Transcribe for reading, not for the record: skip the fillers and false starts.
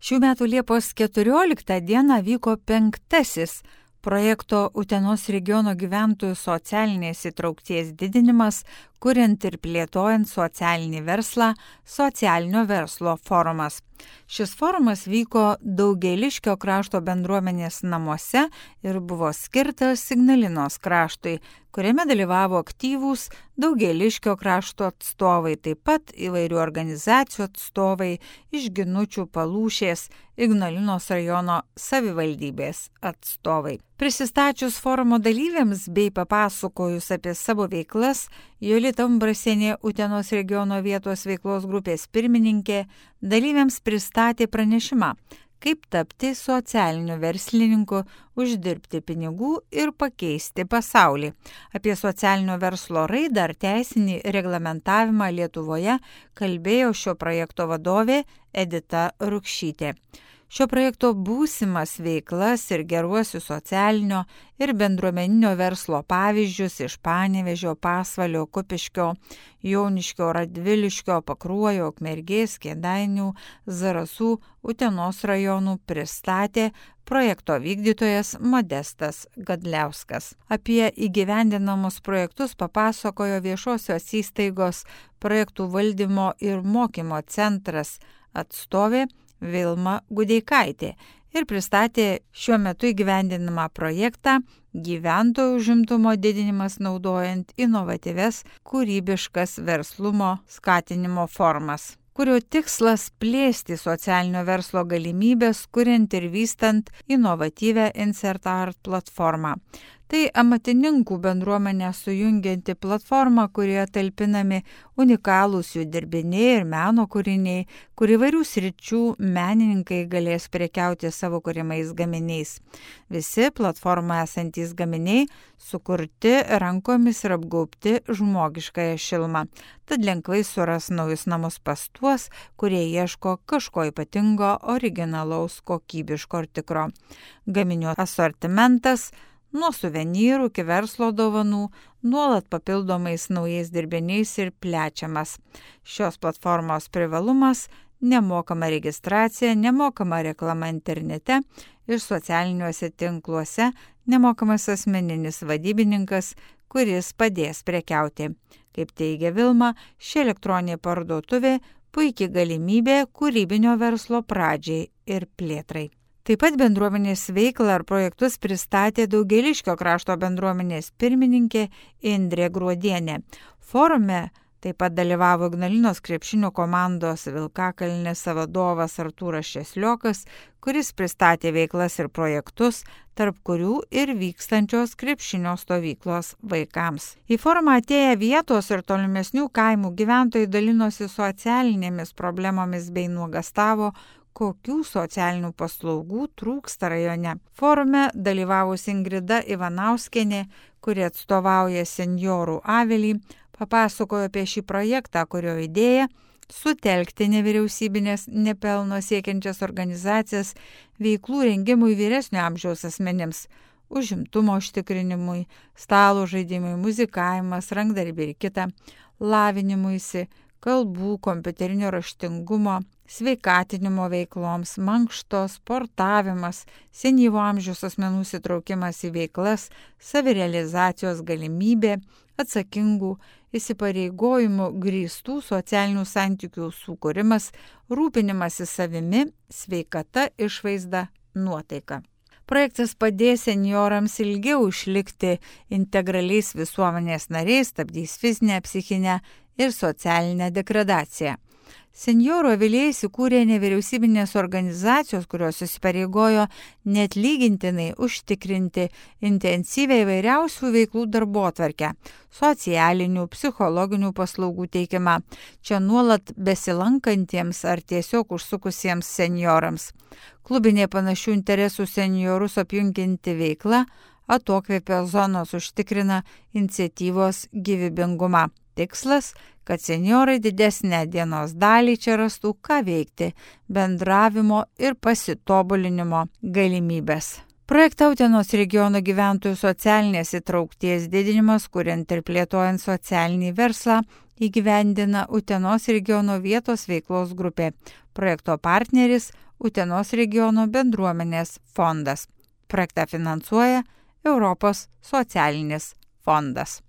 Šių metų Liepos 14 dieną vyko 5. projekto Utenos regiono gyventojų socialinės įtraukties didinimas, kuriant ir plėtojant socialinį verslą, socialinio verslo forumas. Šis forumas vyko Daugėliškio krašto bendruomenės namuose ir buvo skirtas Ignalinos kraštui, kuriame dalyvavo aktyvūs Daugėliškio krašto atstovai, taip pat įvairių organizacijų atstovai iš Ginučių, Palūšės, Ignalinos rajono savivaldybės atstovai. Prisistačius forumo dalyviams bei papasakojus apie savo veiklas, Jolita Umbrasienė, Utenos regiono vietos veiklos grupės pirmininkė, dalyviams pristatė pranešimą, kaip tapti socialiniu verslininku, uždirbti pinigų ir pakeisti pasaulį. Apie socialinio verslo raidą ar teisinį reglamentavimą Lietuvoje kalbėjo šio projekto vadovė Edita Rukšytė. Šio projekto būsimas veiklas ir geruosius socialinio ir bendruomeninio verslo pavyzdžius iš Panevėžio, Pasvalio, Kupiškio, Joniškio, Radviliškio, Pakruojo, Ukmergės, Kėdainių, Zarasų, Utenos rajonų pristatė projekto vykdytojas Modestas Gadliauskas. Apie įgyvendinamus projektus papasakojo viešosios įstaigos projektų valdymo ir mokymo centras atstovė Vilma Gudeikaitė ir pristatė šiuo metu įgyvendinamą projektą gyventojų užimtumo didinimas naudojant inovatyvias, kūrybiškas verslumo skatinimo formas, kurio tikslas plėsti socialinio verslo galimybės, kuriant ir vystant inovatyvią InsertArt platformą. Tai amatininkų bendruomenę sujungianti platforma, kurioje talpinami unikalūs jų dirbiniai ir meno kūriniai, kur įvairių sričių menininkai galės prekiauti savo kūrimais gaminiais. Visi platformoje esantys gaminiai sukurti rankomis ir apgaubti žmogiškąją šilumą, tad lengvai suras naujus namus pas tuos, kurie ieško kažko ypatingo, originalaus, kokybiško ir tikro. Gaminių asortimentas nuo suvenyrų iki verslo dovanų, nuolat papildomais naujais dirbiniais ir plečiamas. Šios platformos privalumas – nemokama registracija, nemokama reklama internete ir socialiniuose tinkluose, nemokamas asmeninis vadybininkas, kuris padės prekiauti. Kaip teigia Vilma, ši elektroninė parduotuvė puikiai galimybė kūrybinio verslo pradžiai ir plėtrai. Taip pat bendruomenės veiklą ar projektus pristatė Daugėliškio krašto bendruomenės pirmininkė Indrė Gruodienė. Forume taip pat dalyvavo Ignalinos krepšinio komandos Vilkakalnės vadovas Artūras Šesliokas, kuris pristatė veiklas ir projektus, tarp kurių ir vykstančios krepšinio stovyklos vaikams. Į forumą atėję vietos ir tolimesnių kaimų gyventojai dalinosi socialinėmis problemomis bei nuogastavo, kokių socialinių paslaugų trūksta rajone. Forume dalyvavusi Ingrida Ivanauskienė, kuri atstovauja senjorų avilį, papasakojo apie šį projektą, kurio idėja sutelkti nevyriausybinės nepelno siekiančias organizacijas veiklų rengimui vyresnio amžiaus asmenims, užimtumo užtikrinimui, stalo žaidimui, muzikavimas, rankdarbiai ir kita, lavinimuisi, kalbų, kompiuterinio raštingumo, sveikatinimo veikloms, mankšto, sportavimas, senyvo amžiaus asmenų įsitraukimas į veiklas, savirealizacijos galimybė, atsakingų įsipareigojimų grįstų socialinių santykių sukūrimas, rūpinimasis savimi, sveikata, išvaizda, nuotaika. Projektas padės senjorams ilgiau išlikti integraliais visuomenės nariais, stabdys fizinę, psichinę ir socialinę degradaciją. Senjorų avilyje įsikūrė nevyriausybinės organizacijos, kurios įsipareigojo neatlygintinai užtikrinti intensyvią įvairiausių veiklų darbotvarkę, socialinių, psichologinių paslaugų teikimą, čia nuolat besilankantiems ar tiesiog užsukusiems senjorams. Klubinė panašių interesų senjorus apjungianti veikla atokvėpio zonos užtikrina iniciatyvos gyvybingumą. Tikslas, kad senjorai didesnę dienos dalį čia rastų ką veikti, bendravimo ir pasitobulinimo galimybės. Projektą Utenos regiono gyventojų socialinės įtraukties didinimas, kuriant ir plėtojant socialinį verslą, įgyvendina Utenos regiono vietos veiklos grupė. Projekto partneris Utenos regiono bendruomenės fondas. Projektą finansuoja Europos socialinis fondas.